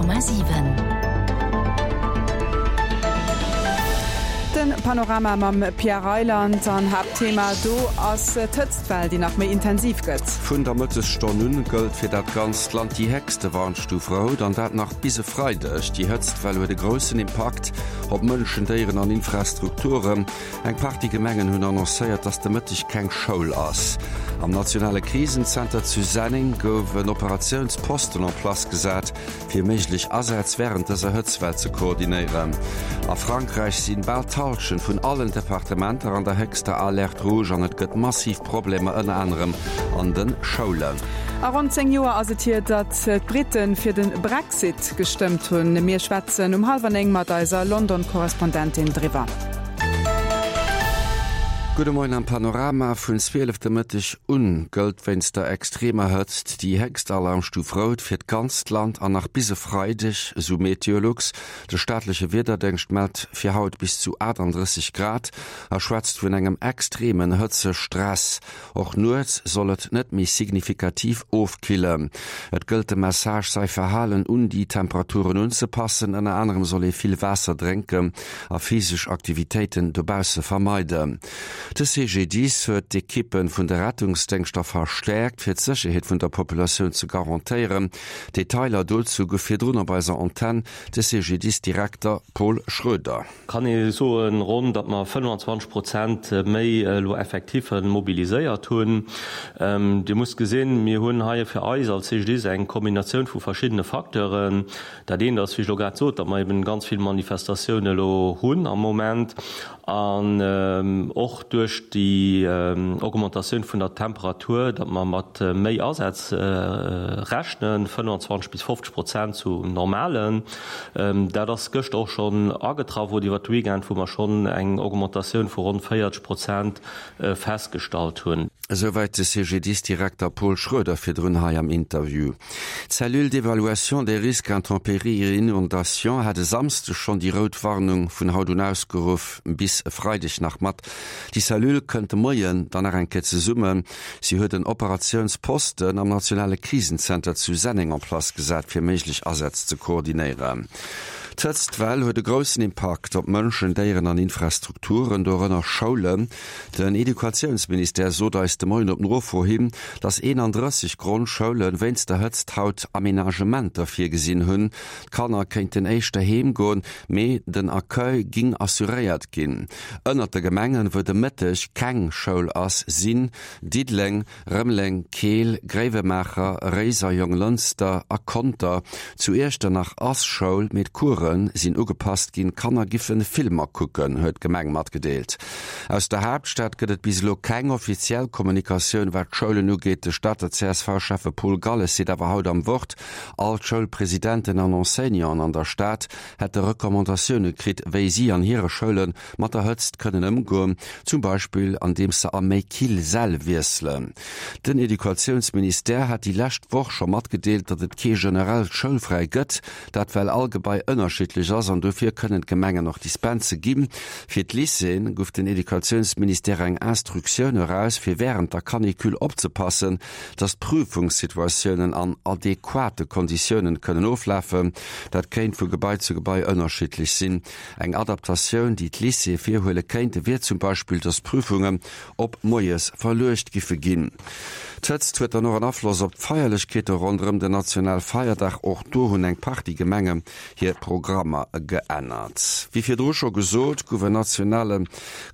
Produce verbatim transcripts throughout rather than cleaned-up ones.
Komma siwen. Den Panorama mam Pierre Reyland an Haaptthema do ass d'Hëtztwell, déi nach méi intensiv gëtt. Vun der Mëttesstonn un gëllt fir dat ganzt Land déi héchste Warnstuf rout, an dat nach bis e Freideg. Déi Hëtztwell huet e groussen Impakt op Mënschen, Déieren an Infrastrukturen. Eng Partie Gemengen hunn annoncéiert, dass de Mëtteg keng Schoul ass. Am nationale Krisenzenter zu Senneng gouf en Operatiounsposten en place gesat, fir méiglech Asätz wärend dëser Hëtztwell ze koordinéieren. A Frankräich sinn bal d'Hallschent vun allen Departementer an der héchster Alerte rouge an et gëtt massiv Problemer ënner anerem an de Schoulen. A ronn zéng Joer ass et hier, datt d'Brite fir de Brexit gestëmmt hunn. Mir schwätzen um hallwer néng mat eiser London-Korrespondentin driwwer. Gudde Moien am Panorama. Vun zwielef de Mëtteg un gëllt wéinst der extremer Hëtzt déi héchst Alarmstuf rout fir d'ganzt Land an nach bis e Freideg, esou Meteolux. De staatleche Wiederdéngscht mellt fir haut bis zu achtandrësseg Grad a schwätzt vun engem extremen Hëtzestress. Och nuets soll et net méi signifikativ ofkillen. Et gëllt de Message, säi Verhalen un déi Temperaturen unzepassen. Ënner anerem soll ee vill Waasser drénken a physesch Aktivitéiten dobausse vermeiden. De C G D I S huet d'Ekippe vun de Rettungsdéngschter verstäerkt, fir d'Sécherheet vun der Populatioun ze garantéieren. Detailer dozou gouf virdrun op eiser Antenn de C G D I S-Direkter Paul Schroeder. Kann ee soen, ronn, datt mer fënnfanzwanzeg Prozent méi elo Effectife mobiliséiert hunn. Dir musst gesinn, mir hunn hei fir eis als C G D I S eng Kombinatioun vu verschiddene Facteuren. Dat eent ass, wéi ech elo grad sot, datt mer eben ganz vill Manifestatioune elo hunn am Moment an och duerch déi Augmentatioun vun der Temperatur, datt mer mat méi Asätz rechnen, fënnfanzwanzeg bis fofzeg Prozent zu normalen. Dat ass gëschter och schonn agetraff oder iwwert de Weekend, wou mer schonn eng Augmentatioun vu ronn véierzeg Prozent festgestallt hunn. Esouwäit de C G D I S-Direkter Paul Schroeder virdrun hei am Interview. D'Cellule d'évaluation des risques intempéries et inondations hat e Samsdeg schonn déi rout Warnung vun haut un ausgeruff, bis e Freideg nach mat. Déi Cellule kënnt de Moien dann nach eng Kéier zesummen. Si huet en Operatiounsposten am nationale Krisenzenter zu Senneng en place gesat, fir méiglech Asätz ze koordinéieren. D'Hëtztwell huet e groussen Impakt op Mënschen, Déieren an Infrastrukturen, dorënner Schoulen. Den Educatiounsministère sot eis de Moien op Nofro hin, datt eenandrësseg Grondschoule wéinst der Hëtzt haut Amenagementer virgesinn hunn. D'Kanner kéinten éischter heem goen, mee den Accueil géing assuréiert ginn. Ënnert de Gemengen, wou de Mëtteg keng Schoul ass, sinn Diddeleng, Rëmeleng, Keel, Gréiwemaacher, Réiser, Jonglënster a Conter. Zu Iechternach ass Schoul, mee d'Course sinn ugepasst ginn, d'Kanner giffen Filmer kucken, huet d'Gemeng matgedeelt. Aus der Haaptstad gëtt et bis elo keng offiziell Kommunikatioun, wat d'Schoulen ugeet. De Stater C S V-Schäffe Paul Galles seet awer haut am Wort, all d'Schoulpresidenten an Enseignanten an der Stad hätte Recommandatioune kritt, wéi si an hire Schoule mat der Hëtzt kënnen ëmgoen, zum Beispill andeems se a méi kill Säll wiesselen. Den Educatiounsministère hat déi lescht Woch scho matgedeelt, datt et kee generellt Schoulfräi gëtt, dat well all Gebai ënnerschiddlech ass an dofir kënnen d'Gemengen och Dispense ginn. Fir d'Lycéeën gouf den Educatiounsministère eng Instruktioun eraus, fir wärend der Canicule opzepassen, datt d'Prüfungssituatiounen an adequate Konditiounen kënnen oflafen. Dat kéint vu Gebai zu Gebai ënnerschiddlech sinn. Eng Adaptatioun, déi d'Lycéeë virhuele kéinte, wier zum Beispill, datt d'Prüfungen op moies verluecht giffe ginn. D'Hëtzt huet dann och en Afloss op d'Feierlechkeete ronderëm den Nationalfeierdag. Och do hunn eng Partie Gemengen hir Programmer geännert. Wéi virdru scho gesot, gouf en nationale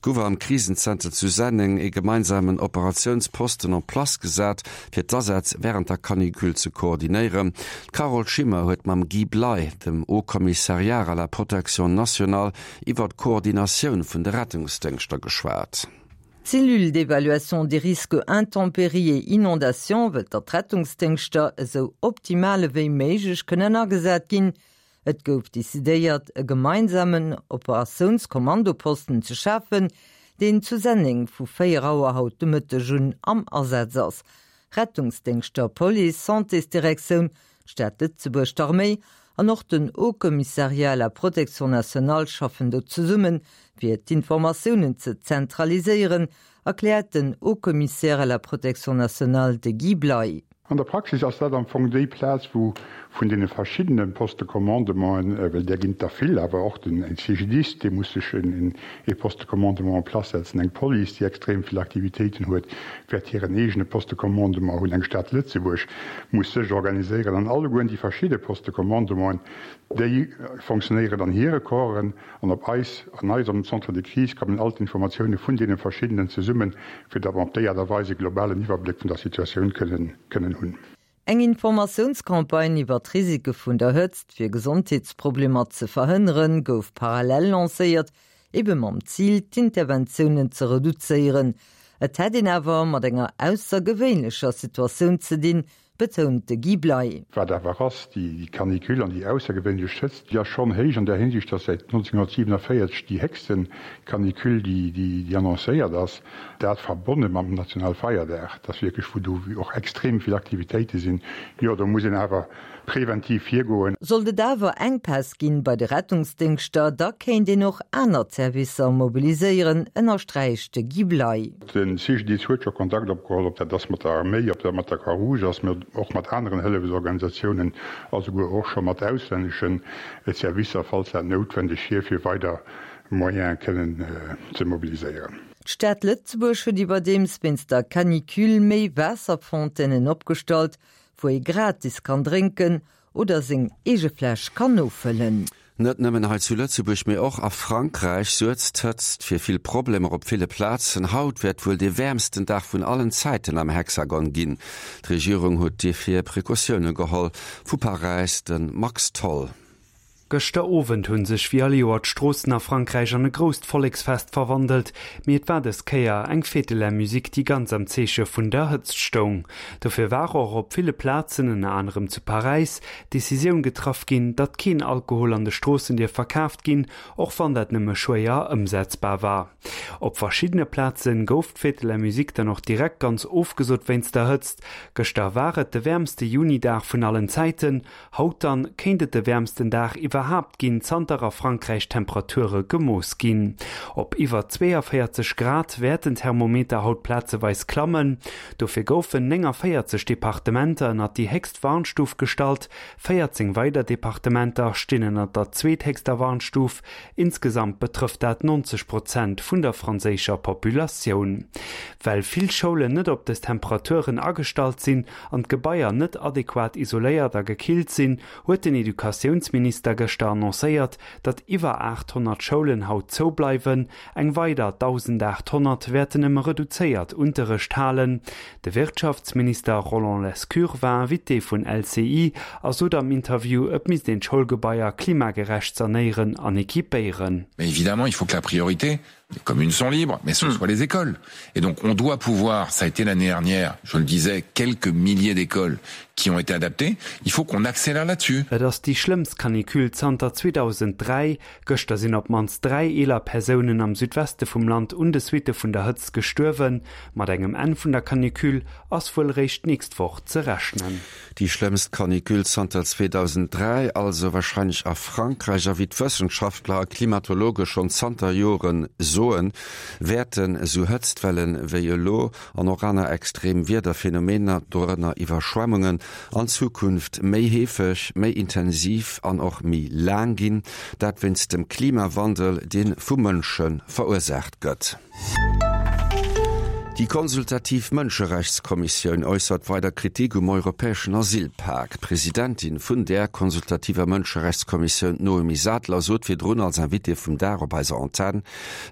gouf am Krisenzenter zu Senneng e gemeinsamen Operatiounsposten en place gesat, fir d'Asätz wärend der Canicule ze koordinéieren. D'Carole Schimmer huet mam Guy Bley, dem Haut Commissariat à la protection nationale, iwwer d'Koordinatioun vun de Rettungsdéngschter geschwat. D'Cellule d'évaluation des risques intempéries et inondations wëllt datt d'Rettungsdéngschter esou optimal wéi méiglech kënnen agesat ginn. Et gouf decidéiert, e gemeinsamen Operatiounskommandoposten ze schafen, deen zu Senneng vu véier Auer haut de Mëtteg un am Asaz ass. Rettungsdéngschter, Police, Santésdirektioun, Stad Lëtzebuerg, d'Arméi an och den Haut Commissariat à la protection nationale schaffen do zesummen, fir d'Informatiounen ze zentraliséieren, erkläert den Haut Commissaire à la protection nationale de Guy Bley. An der Praxis ass dat am Fong déi Plaz, wou vun deene verschiddene Postes de commandementen, well där ginn et der vill, awer och den CGDIS, dee muss sech en ee Poste de commandement en place setzen, eng Police, déi extrem vill Aktivitéiten huet, wäert hiren eegene Poste de commandement hunn, eng Stad Lëtzebuerg muss sech organiséieren an allegueren déi verschidde Postes de commandementen, déi fonctionnéieren an hire Corpsen an op eis, an eisem Centre de crise kommen all d'Informatioune vun deene verschiddenen zesummen, fir datt mer op déi Aart a Weis e globalen Iwwerbléck vun der Situatioun kënnen, kënnen hunn. Eng Informatiounscampagne iwwer d'Risike vun der Hëtzt, fir Gesondheetsproblemer ze verhënneren, gouf parallel lancéiert, ebe mam Zil, d'Interventiounen ze reduzéieren. Et hätt een awer mat enger aussergewéinlecher Situatioun ze dinn, betount de Guy Bley. Wat awer ass, déi Canicule an déi aussergewéinlech Hëtzt, déi ass schonn héich an där Hinsicht, dass säit nonzénhunnertsiewenavéierzeg déi héchste Canicule, déi annoncéiert ass, dat verbonne mam Nationalfeierdag, dass wierklech, wou do och extrem vill Aktivitéite sinn, jo, do muss een awer preventiv virgoen. Sollt et awer Enkpäss ginn bei de Rettungsdéngschter, da kéint een och aner Servicer mobiliséieren, ënnersträicht de Guy Bley. De C G D I S huet scho Kontakt opgeholl, ob dat ass mat der Arméi, ob dat mat der Croix-Rouge ass, mä och mat aneren Hëllefsorganisatiounen a souguer och scho mat auslännesche Servicer, falls dat noutwendeg wier, fir weider Moyene kënnen ze mobiliséieren. D'Stad Lëtzebuerg huet iwwerdeems wéinst der Canicule méi Waasserfontänen opgestallt, wou ee gratis kann drénken oder seng eege Fläsch kann nofëllen. Net nëmmen hei zu Lëtzebuerg, mee och a Frankräich suergt d'Hëtzt fir vill Problemer op ville Plazen. Haut wäert wuel dee wäermsten Dag vun allen Zäiten am Hexagon ginn. D'Regierung huet dofir Precautioune geholl. Vu Paräis de Max Tholl. Gëschter Owend hunn sech wéi all Joer d'Stroossen a Frankräich an e grousst Volleksfest verwandelt, mee et war dës Kéier eng Fête de la Musique, déi ganz am Zeeche vun der Hëtzt stoung. Dofir war och op ville Plazen, ënner anerem zu Paräis, d'Decisioun getraff ginn, datt keen Alkohol an de Stroossen dierf verkaaft ginn, och wann dat nëmme schwéier ëmsetzbar war. Op verschiddene Plaze gouf d'Fête de la Musique dann och direkt ganz ofgesot wéinst der Hëtzt. Gëschter war et de wäermste Junidag vun allen Zäiten, haut dann kéint et de wäermsten Dag iwwerhaapt ginn, zanter a Frankräich Temperature gemooss ginn. Op iwwer zweeënvéierzeg Grad wäerten d'Thermometer haut plazeweis klammen. Dofir goufen néngavéierzeg Departementer ënnert déi héchst Warnstuf gestallt, véierzéng weider Departementer stinn ënnert der zweethéchster Warnstuf. Insgesamt betrëfft dat neunzeg Prozent vun der franséischer Populatioun. Well vill Schoulen net op dës Temperaturen agestallt sinn an d'Gebaier net adequat isoléiert a gekillt sinn, huet den Educatiounsminister gëschter annoncéiert, datt iwwer aathonnert Schoulen haut zoubleiwen, eng weider dausendaathonnert wäerten nëmme reduzéiert Unterrecht halen. De Wirtschaftsminister Roland Lescure war Invité vun L C I a sot am Interview, et misst een d'Schoulgebaier klimagerecht sanéieren an equipéieren. Mais évidemment, il faut que la priorité, les communes sont libres, mais ce hmm. soient les écoles. Et donc on doit pouvoir, ça a été l'année dernière, je le disais, quelques milliers d'écoles qui ont été adaptées, il faut qu'on accélère là-dessus. Et ass déi schlëmmst Canicule zanter zweedausend dräi. Gëschter sinn op d'mannst dräi eeler Persounen am Südweste vum Land un de Suitte vun der Hëtzt gestuerwen. Mat engem Enn vun der Canicule ass wuel réischt d'nächst Woch ze rechnen. Déi schlëmmst Canicule zanter zweedausend dräi, also warscheinlech a Frankräich. A wéi d'Wëssenschaftler a Klimatologe schonn zanter Joren soen, wäerten esou Hëtztwellen wéi elo an och aner extrem Wiederphenomener, dorënner Iwwerschwemmungen, an Zukunft méi heefeg, méi intensiv an och méi laang ginn, dat wéinst dem Klimawandel, dee vu Mënsche verursaacht gëtt. Déi konsultativ Mënscherechtskommissioun äussert weider Kritik um europäeschen Asylpak. D'Presidentin vun där konsultativer Mënscherechtskommissioun, Noemi Sattler, sot virdrun als Invitée vum Dag op eiser Antenn,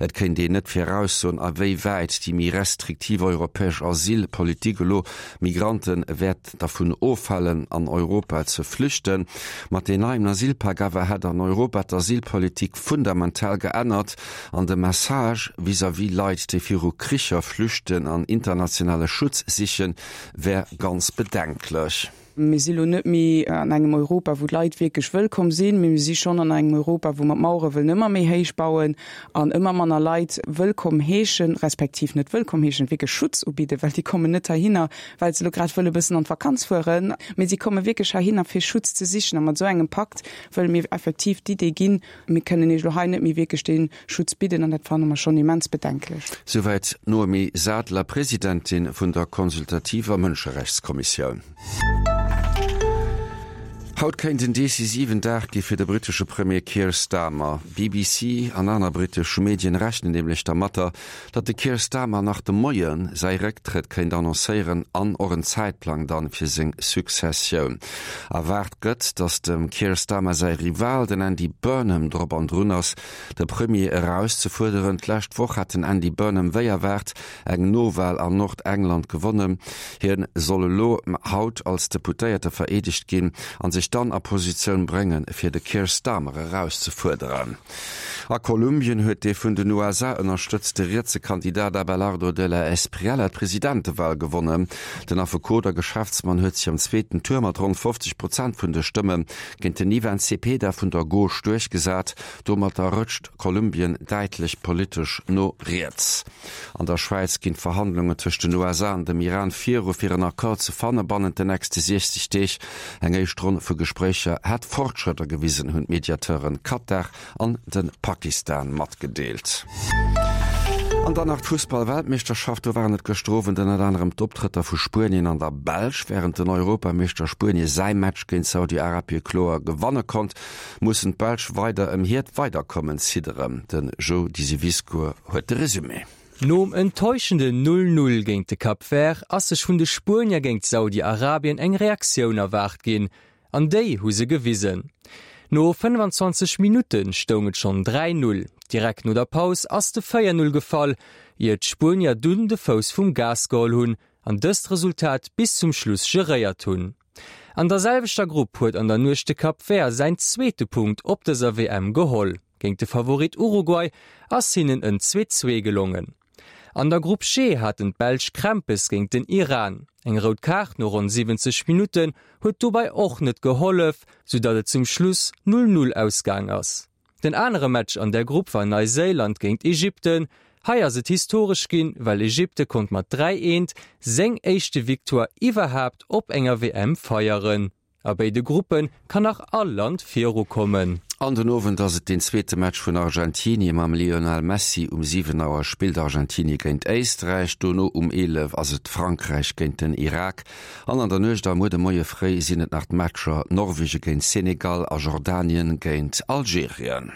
et kéint een net viraussoen, a wéi wäit déi méi restriktiv europäesch Asylpolitik elo Migrante wäert dervun ofhalen, an Europa ze flüchten. Mat deem neien Asylpak awer hätt an Europa d'Asylpolitik fundamental geännert an de Message vis-à-vis Leit, déi viru Kricher flüchten an internationale Schutz sichen, wär ganz bedenklech. Mir si lo net méi an engem Europa, wou d'Leit wierklech wëllkomm sinn, mee mir si schonn an engem Europa, wou mer d'Mauere wëllen ëmmer méi héich bauen an ëmmer manner Leit wëllkomm heeschen, respektiv net wëllkomm heeschen, wierklech Schutz ubidden, well déi kommen net heihinner, well se elo grad wëlle bëssen an d'Vakanz fueren, mee si komme wierklech heihinner, fir Schutz ze sichen. A mat esou engem Pakt wëlle mir effektiv d'Idee ginn, mir kënnen Iech elo hei net méi wierklech dee Schutz bidden, an dat fanne mer schonn immens bedenklech. Souwäit d'Noemi Sadler, Presidentin vun der consultativer Mënscherechtskommissioun. Haut kéint en decisiven Dag gi fir de brittesche Premier Keir Starmer. BBC an aner brittesch Medien rechnen nämlech dermatter, datt de Keir Starmer nach de Moie säi Récktrëtt kéint annoncéieren an och en Zäitplang dann fir seng Successioun. Erwaart gëtt, datt dem Keir Starmer säi Rival, den Andy Burnham, drop an drun ass, de Premier erauszefuerderen. D'lescht Woch hat den Andy Burnham wéi erwaart eng Nowal an Nordengland gewonnen. Hien soll elo haut als Deputéierte vereedegt ginn an sech dann a Positioun bréngen, fir de Keir Starmer erauszefuerderen. A Kolumbien huet dee vun den U S A ënnerstëtzte rietse Kandidat Abelardo de la Espriella d'Presidentewal gewonnen. Den Affekot a Geschäftsmann huet sech am zweeten Tour mat ronn fofzeg Prozent vun de Stëmme géint den Ivan Cepeda vun der Gauche duerchgesat. Domatter rëtscht Kolumbien däitlech politesch no riets. An der Schwäiz ginn d'Verhandlungen tëscht den U S A an dem Iran viru fir en Accord ze fanne bannent den nächste siechzeg Deeg. Eng éischt Ronn vu Gespréicher hätt Fortschrëtter gewisen, hunn d'Mediateuren Katar an de Pakistan matgedeelt. An dann nach d'Fussball-Weltmeeschterschaft. Do waren et gëschter Owend ënnert anerem d'Optrëtter vu Spuenien an der Belsch. Wärend den Europameeschter Spuenie säi Match géint Saudi-Arabie kloer gewanne konnt, mussen d'Belsch weider ëm hiert Weiderkommen zidderen. De Joe Disivisco huet de Resumé. Nom enttäuschenden null null géint de Cap Vert ass sech vun de Spuenier géint Saudi-Arabien eng Reaktioun erwaart ginn. An déi hu se gewisen. No fënnwanzwanzeg Minutten stoung et schonn dräi null. Direkt no der Paus ass de véier null gefall, ier d'Spuenier dunn de Fouss vum Gas geholl hunn an dëst Resultat bis zum Schluss geréiert hunn. An der selwechter Grupp huet an der Nuecht de Cap Vert säin zweete Punkt op dëser W M geholl. Géint de Favorit Uruguay ass hinnen en zwee zwee gelongen. An der Grupp G haten d'Belsch Krämpes géint den Iran. Eng rout Kaart no ronn siwwenzeg Minutten huet dobäi och net gehollef, soudatt et zum Schluss null null ausgaang ass. Den anere Match an der Grupp war Neuseeland géint Ägypten. Hei ass et historesch ginn, well Ägypte konnt mat dräi eent seng éischte Victoire iwwerhaapt op enger W M feieren. A béide Gruppe kann nach all Land virukommen. An den Owend ass et den zweete Match vun Argentinie mam Lionel Messi. Um siwen Auer spillt Argentinie géint Éisträich, dono um eelef ass et Frankräich géint den Irak. An an der Nuecht a muer de Moie fréi sinn et nach d'Matcher Norwege géint Senegal a Jordanien géint Algerien.